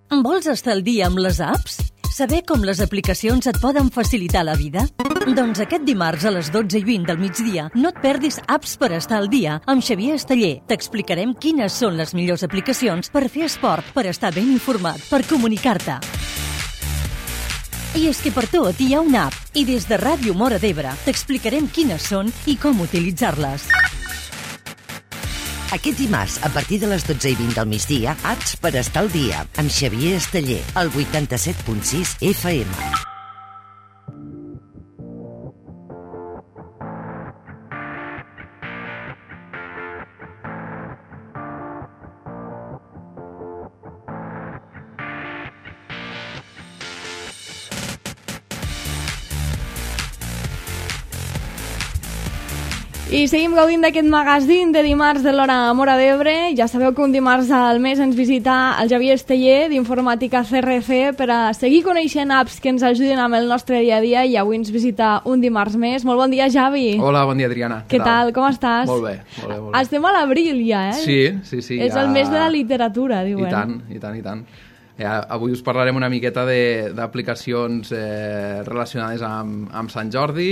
Vols estar al dia amb les apps? Saber com les aplicacions et poden facilitar la vida? Doncs aquest dimarts a les 12:20 del migdia no et perdis Apps per estar al dia amb Xavier Esteller. T'explicarem quines són les millors aplicacions per fer esport, per estar ben informat, per comunicar-te. I és que per tot hi ha una app i des de Ràdio Móra d'Ebre t'explicarem quines són i com utilitzar-les. Aquest dimarts, a partir de les 12:20 del migdia, Apps per estar al dia, amb Xavier Esteller, al 87.6 FM. I seguim gaudint d'aquest magazín de dimarts de l'Hora Móra d'Ebre. Ja sabeu que un dimarts al mes ens visita el Xavier Esteller d'Informàtica CRC per a seguir coneixent apps que ens ajuden amb el nostre dia a dia, i avui ens visita un dimarts més. Molt bon dia, Xavi. Hola, bon dia, Adriana. Què tal? Com estàs? Molt bé, molt bé. Estem a l'abril ja, eh? Sí. És el mes de la literatura, diuen. I tant. Avui us parlarem una miqueta d'aplicacions relacionades amb Sant Jordi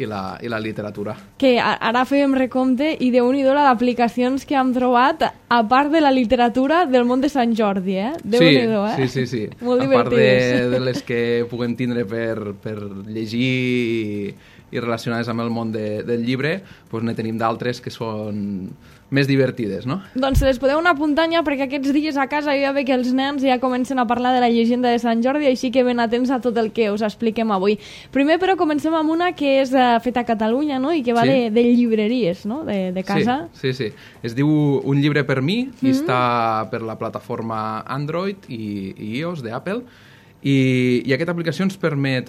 i la literatura. Que ara fèiem recompte i déu-n'hi-do d'aplicacions que hem trobat a part de la literatura del món de Sant Jordi, eh? Déu-n'hi-do, eh? Sí. Molt a part divertides. de les que puguem tindre per llegir i relacionades amb el món del llibre, doncs ne tenim d'altres que són més divertides, no? Doncs se les podeu anar apuntant ja, perquè aquests dies a casa ja ve que els nens ja comencen a parlar de la llegenda de Sant Jordi, així que ben atents a tot el que us expliquem avui. Primer, però, comencem amb una que és feta a Catalunya, no?, i que va de llibreries, no?, de casa. Sí. Es diu Un llibre per mi, i està per la plataforma Android i iOS d'Apple. I aquesta aplicació ens permet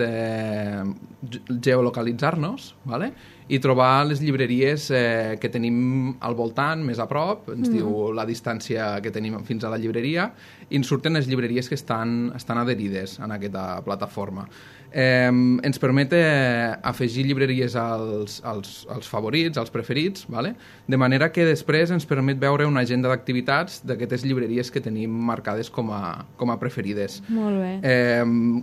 geolocalitzar-nos, ¿vale? I trobar les llibreries que tenim al voltant, més a prop, ens diu la distància que tenim fins a la llibreria, i ens surten les llibreries que estan adherides en aquesta plataforma. Ens permet afegir llibreries als favorits, als preferits, ¿vale? De manera que després ens permet veure una agenda d'activitats d'aquestes llibreries que tenim marcades com a preferides. Molt bé.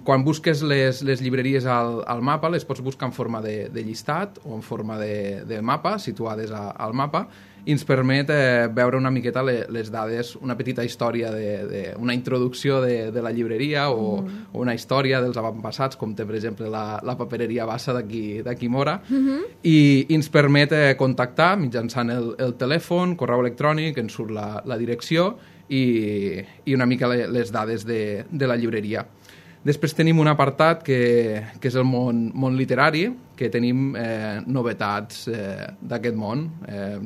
Quan busques les llibreries al mapa, les pots buscar en forma de llistat o en forma de mapa, situades al mapa, i ens permet veure una miqueta les dades, una petita història, una introducció de la llibreria o una història dels avantpassats, com té, per exemple, la papereria Bassa d'aquí Móra, i ens permet contactar mitjançant el telèfon, correu electrònic, ens surt la direcció i una mica les dades de la llibreria. Després tenim un apartat que és el món literari, que tenim novetats d'aquest món.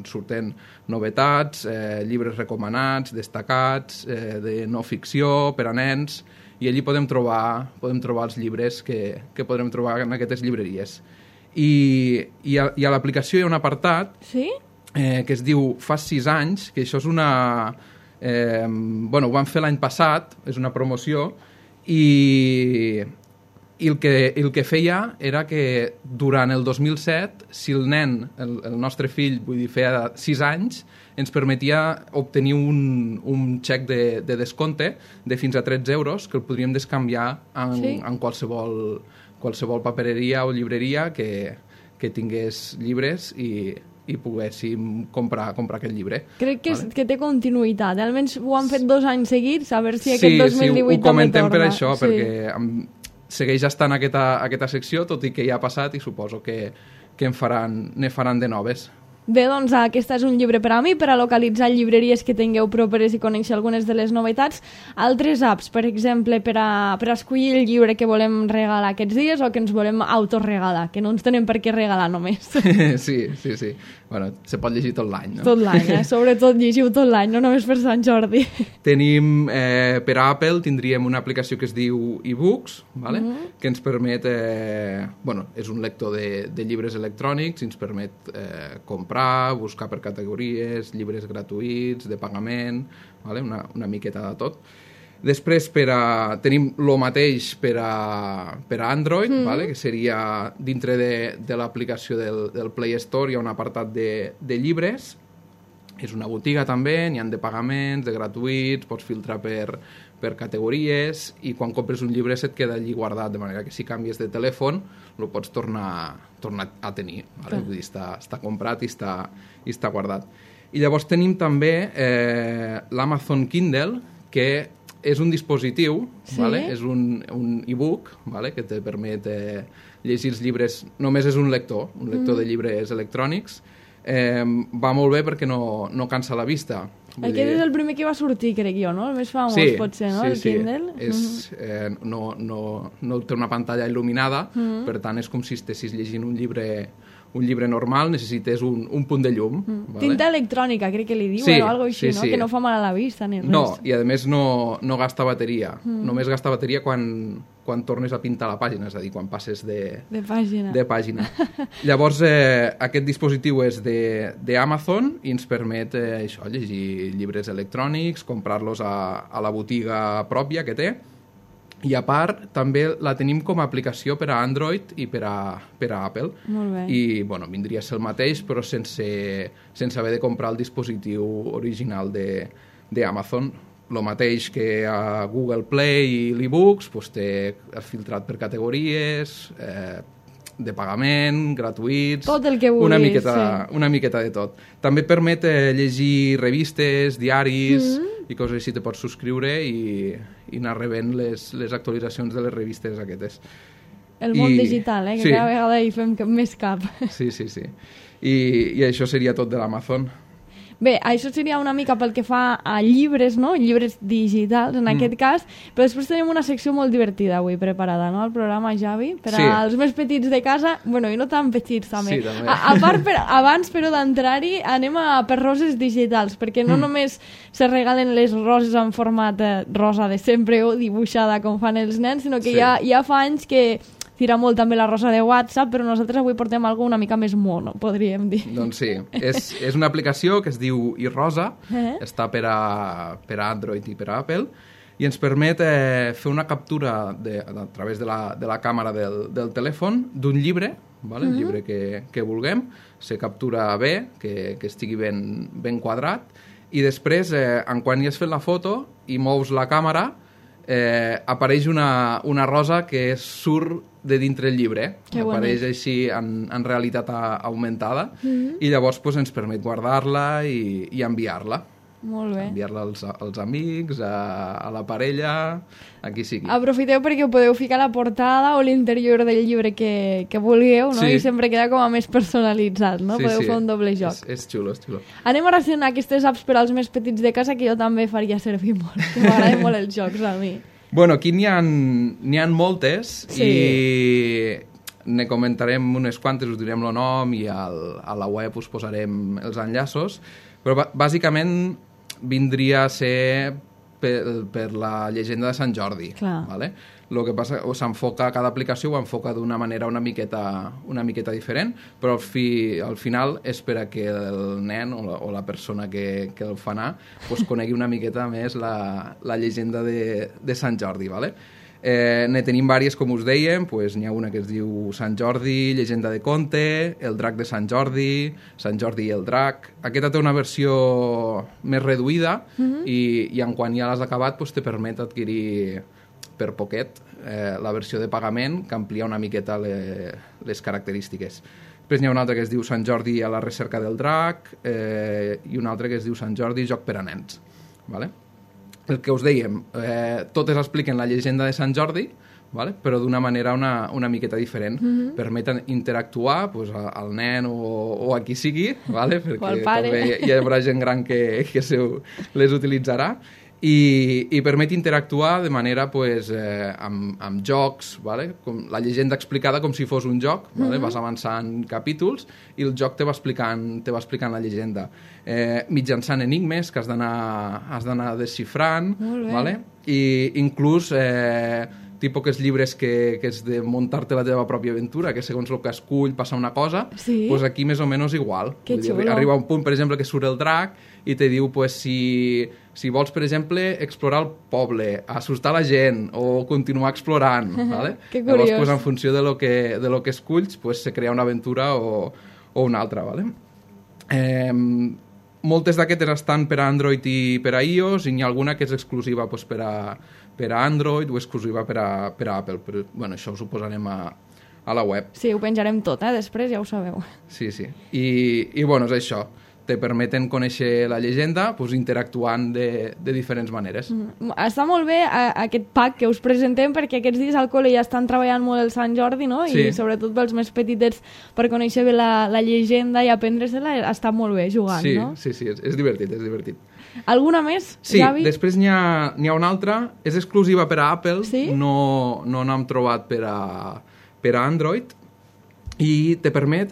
Surten novetats, llibres recomanats, destacats, de no ficció, per a nens, i allí podem trobar els llibres que podrem trobar en aquestes llibreries. I a l'aplicació hi ha un apartat que es diu Fa 6 anys, que això és una... ho vam fer l'any passat, és una promoció, i el que feia era que durant el 2007, si el nen, el nostre fill, vull dir, feia 6 anys, ens permetia obtenir un xec de descompte de fins a 13 euros que el podríem descanviar en qualsevol papereria o llibreria que tingués llibres i poguéssim comprar aquest llibre. Crec que té continuïtat. Almenys ho han fet 2 anys seguits, a veure si aquest 2018 també torna. Sí, ho comentem per això, perquè segueix estant aquesta secció, tot i que ja ha passat, i suposo que ne faran de noves. Bé, doncs aquest és un llibre per a mi, per a localitzar llibreries que tingueu properes i conèixer algunes de les novetats. Altres apps, per exemple, per a escollir el llibre que volem regalar aquests dies o que ens volem autoregalar, que no ens tenen per què regalar només. Sí. Bueno, se pot llegir tot l'any, no? Tot l'any, sobretot llegiu tot l'any, no només per Sant Jordi. Tenim, per a Apple, tindríem una aplicació que es diu eBooks, ¿vale? Que ens permet, és un lector de llibres electrònics, i ens permet comprar, buscar per categories, llibres gratuïts, de pagament, ¿vale? Una miqueta de tot. Després tenim el mateix per a Android, ¿vale? Que seria dintre de l'aplicació del Play Store, hi ha un apartat de llibres. És una botiga també, n'hi ha de pagaments, de gratuïts, pots filtrar per per categories, i quan compres un llibre se't queda allí guardat, de manera que si canvies de telèfon el pots tornar a tenir. Vale? Vull dir, està comprat i està guardat. I llavors tenim també l'Amazon Kindle, que és un dispositiu, vale? És un e-book, vale? Que te permet llegir els llibres. Només és un lector de llibres electrònics. Va molt bé perquè no cansa la vista. Aquest és el primer que va sortir, crec jo, no? El més famós, potser, no? El Kindle. No té una pantalla il·luminada, per tant és com si estessis llegint un llibre normal, necessites un punt de llum. Vale? Tinta electrònica, crec que li diuen, o alguna cosa així, no? Que no fa mal a la vista ni res. No, i a més no gasta bateria. Només gasta bateria quan tornes a pintar la pàgina, és a dir, quan passes de pàgina. Llavors, aquest dispositiu és d'Amazon i ens permet llegir llibres electrònics, comprar-los a la botiga pròpia que té. I a part, també la tenim com a aplicació per a Android i per a Apple. Molt bé. I, vindria a ser el mateix, però sense haver de comprar el dispositiu original d'Amazon. El mateix que a Google Play i l'e-books, té filtrat per categories, de pagament, gratuïts... Tot el que vulguis, una miqueta de tot. També permet llegir revistes, diaris i coses així. Te pots subscriure i anar rebent les actualitzacions de les revistes aquestes. El món digital, que cada vegada hi fem més cap. Sí. I això seria tot de l'Amazon. Bé, això seria una mica pel que fa a llibres, no? Llibres digitals, en aquest cas, però després tenim una secció molt divertida avui preparada, no? El programa, Javi, per als més petits de casa, i no tan petits també. Sí, també. A part, abans, però, d'entrar-hi, anem per roses digitals, perquè no només se regalen les roses en format rosa de sempre o dibuixada com fan els nens, sinó que ja fa anys que tira molt també la rosa de WhatsApp, però nosaltres avui portem alguna una mica més mono, podríem dir. Doncs sí, és una aplicació que es diu iRosa, està per a Android i per a Apple, i ens permet fer una captura a través de la càmera del telèfon d'un llibre, el llibre que vulguem, se captura bé, que estigui ben quadrat, i després, quan hi has fet la foto i mous la càmera, apareix una rosa que surt de dintre el llibre. Apareix així en realitat augmentada i llavors ens permet guardar-la i enviar-la. Molt bé. Enviar-la als amics, a la parella, a qui sigui. Aprofiteu perquè ho podeu ficar a la portada o l'interior del llibre que vulgueu, no? I sempre queda com a més personalitzat, no? Podeu fer un doble joc. És xulo, és xulo. Anem a relacionar aquestes apps per als més petits de casa, que jo també faria servir molt, que m'agraden molt els jocs a mi. Bueno, aquí n'hi ha moltes i ne comentarem unes quantes, us direm el nom i a la web us posarem els enllaços, però bàsicament vindria a ser per la llegenda de Sant Jordi. Vale? El que passa s'enfoca, cada aplicació ho enfoca d'una manera una miqueta diferent, però al final és per a que el nen o la persona que el fa anar conegui una miqueta més la llegenda de Sant Jordi. Vale? Ne tenim diverses, com us dèiem, n'hi ha una que es diu Sant Jordi, llegenda de conte, el drac de Sant Jordi i el drac. Aquesta té una versió més reduïda i quan ja l'has acabat te permet adquirir per poquet la versió de pagament, que amplia una miqueta les característiques. Després n'hi ha una altra que es diu Sant Jordi a la recerca del drac i una altra que es diu Sant Jordi, joc per a nens. Vale? El que us dèiem, totes expliquen la llegenda de Sant Jordi, vale? Però d'una manera una miqueta diferent. Permeten interactuar al nen o a qui sigui, vale? Perquè també hi haurà gent gran que les utilitzarà. I permet interactuar de manera amb jocs, vale? Com la llegenda explicada com si fos un joc, vale? Vas avançant capítols i el joc te va explicant la llegenda mitjançant enigmes que has d'anar desxifrant, vale? I inclús tipus que els llibres que és de muntar-te la teva pròpia aventura, que segons el que escull passa una cosa, doncs aquí més o menys igual. Arriba un punt, per exemple, que surt el drac i te diu si vols, per exemple, explorar el poble, assustar la gent o continuar explorant. Vale? Que curiós. Llavors, en funció de lo que esculls, se crea una aventura o una altra. Vale? moltes d'aquestes estan per a Android i per a iOS, i n'hi ha alguna que és exclusiva doncs, per a Android o exclusiva per a Apple. Però, bueno, això us ho posarem a la web. Sí, ho penjarem tot, després ja ho sabeu. Sí. I bueno, és això. Te permeten conèixer la llegenda doncs, interactuant de diferents maneres. Està molt bé aquest pack que us presentem, perquè aquests dies al col·le ja estan treballant molt el Sant Jordi, no? Sí. I sobretot pels més petitets, per conèixer bé la llegenda i aprendre-se-la, està molt bé jugant, no? Sí, és divertit. Alguna més, sí, Javi? Sí, després n'hi ha una altra, és exclusiva per a Apple, sí? no n'hem trobat per a Android, i te permet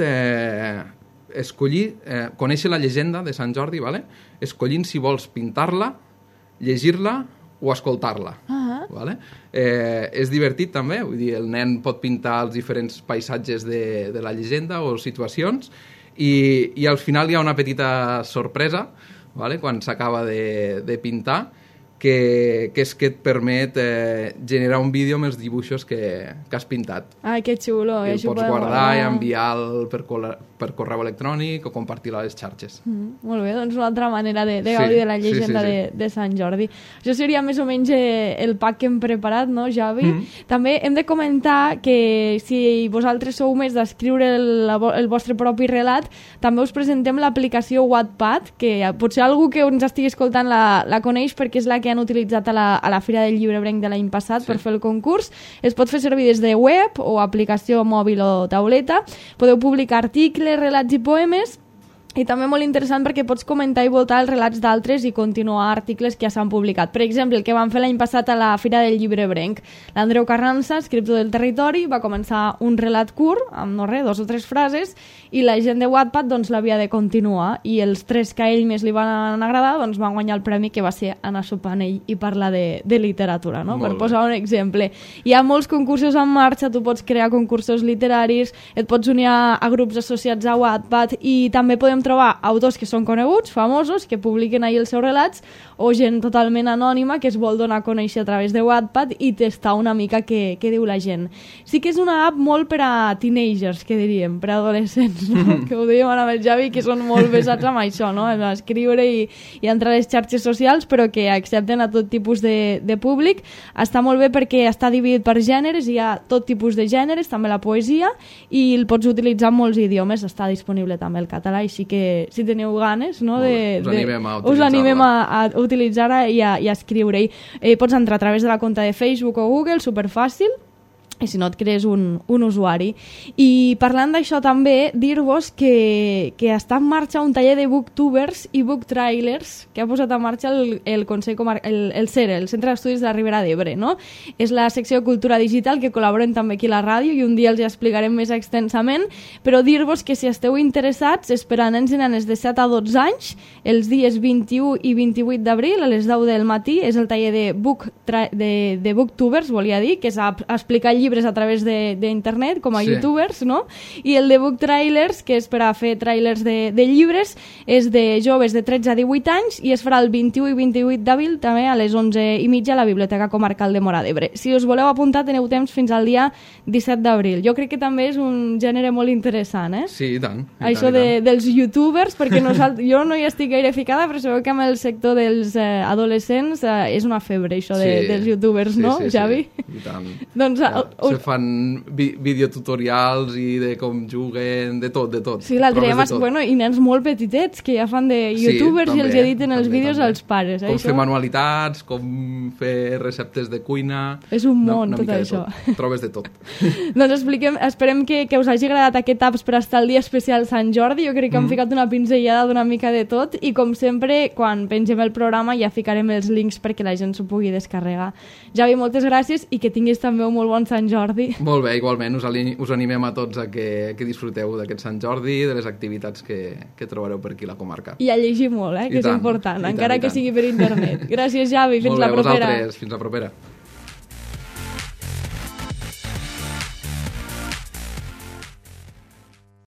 escollir, conèixer la llegenda de Sant Jordi, ¿vale? Escollint si vols pintar-la, llegir-la o escoltar-la. ¿Vale? És divertit també, vull dir, el nen pot pintar els diferents paisatges de la llegenda o situacions, i al final hi ha una petita sorpresa, ¿vale? Quan s'acaba de pintar, que és que et permet generar un vídeo amb els dibuixos que has pintat. Ai, que xulo. I el pots guardar i enviar per correu electrònic o compartir-lo a les xarxes. Molt bé, doncs una altra manera de gaudir de la llegenda de Sant Jordi. Això seria més o menys el pack que hem preparat, no, Javi? També hem de comentar que si vosaltres sou més d'escriure el vostre propi relat, també us presentem l'aplicació Wattpad, que potser algú que ens estigui escoltant la coneix, perquè és la que han utilitzat a la Fira del Llibrebrenc de l'any passat per fer el concurs. Es pot fer servir des de web o aplicació mòbil o tauleta. Podeu publicar articles, relats i poemes, i també molt interessant perquè pots comentar i votar els relats d'altres i continuar articles que ja s'han publicat. Per exemple, el que van fer l'any passat a la Fira del Llibrebrenc. L'Andreu Carranza, escriptor del Territori, va començar un relat curt, amb 2 o 3 frases, i la gent de Wattpad doncs, l'havia de continuar, i els 3 que a ell més li van agradar doncs, van guanyar el premi, que va ser anar sopant ell i parlar de literatura, no? Per posar un exemple. Hi ha molts concursos en marxa, tu pots crear concursos literaris, et pots unir a grups associats a Wattpad, i també podem trobar autors que són coneguts, famosos, que publiquen ahir els seus relats, o gent totalment anònima que es vol donar a conèixer a través de Wattpad i testar una mica què diu la gent. Sí que és una app molt per a teenagers, que diríem, per a adolescents, no? Que ho dèiem ara amb el Javi, que són molt pesats amb això, no? A escriure i entrar a les xarxes socials, però que accepten a tot tipus de públic. Està molt bé perquè està dividit per gèneres, hi ha tot tipus de gèneres, també la poesia, i el pots utilitzar en molts idiomes. Està disponible també el català, així que si teniu ganes, no, us animem a utilitzar-la i a escriure-hi. Pots entrar a través de la compte de Facebook o Google, superfàcil, i si no et crees un usuari. I parlant d'això també, dir-vos que està en marxa un taller de booktubers i booktrailers que ha posat en marxa el Consell el CERE, el Centre d'Estudis de la Ribera d'Ebre, no? És la secció de Cultura Digital, que col·laboren també aquí a la ràdio, i un dia els explicarem més extensament, però dir-vos que si esteu interessats, és per a nens i nenes de 7 a 12 anys, els dies 21 i 28 d'abril a les 10 del matí, és el taller de booktubers, volia dir, que és explicar llibres a través d'internet, com a youtubers, no? I el de book trailers, que és per a fer trailers de llibres, és de joves de 13 a 18 anys, i es farà el 21 i 28 d'abril també a les 11:30 a la Biblioteca Comarcal de Móra d'Ebre. Si us voleu apuntar, teniu temps fins al dia 17 d'abril. Jo crec que també és un gènere molt interessant, eh? Sí, i tant. Això dels youtubers, perquè jo no hi estic gaire ficada, però sabeu que amb el sector dels adolescents és una febre, això dels youtubers, no, Javi? I tant. Doncs se fan videotutorials i de com juguen, de tot. Sí, l'altre dia, bueno, i nens molt petitets que ja fan de youtubers i els editen els vídeos als pares. Com fer manualitats, com fer receptes de cuina... És un món, tot això. Trobes de tot. Doncs esperem que us hagi agradat aquest apps per estar al dia especial Sant Jordi. Jo crec que hem ficat una pinzellada d'una mica de tot, i com sempre, quan pengem el programa ja ficarem els links perquè la gent s'ho pugui descarregar. Javi, moltes gràcies, i que tinguis també un molt bon Sant Jordi. Molt bé, igualment, us animem a tots a que disfruteu d'aquest Sant Jordi, de les activitats que trobareu per aquí a la comarca. I a llegir molt, que és important, encara que sigui per internet. Gràcies, Javi, fins la propera. Molt bé, vosaltres, fins la propera.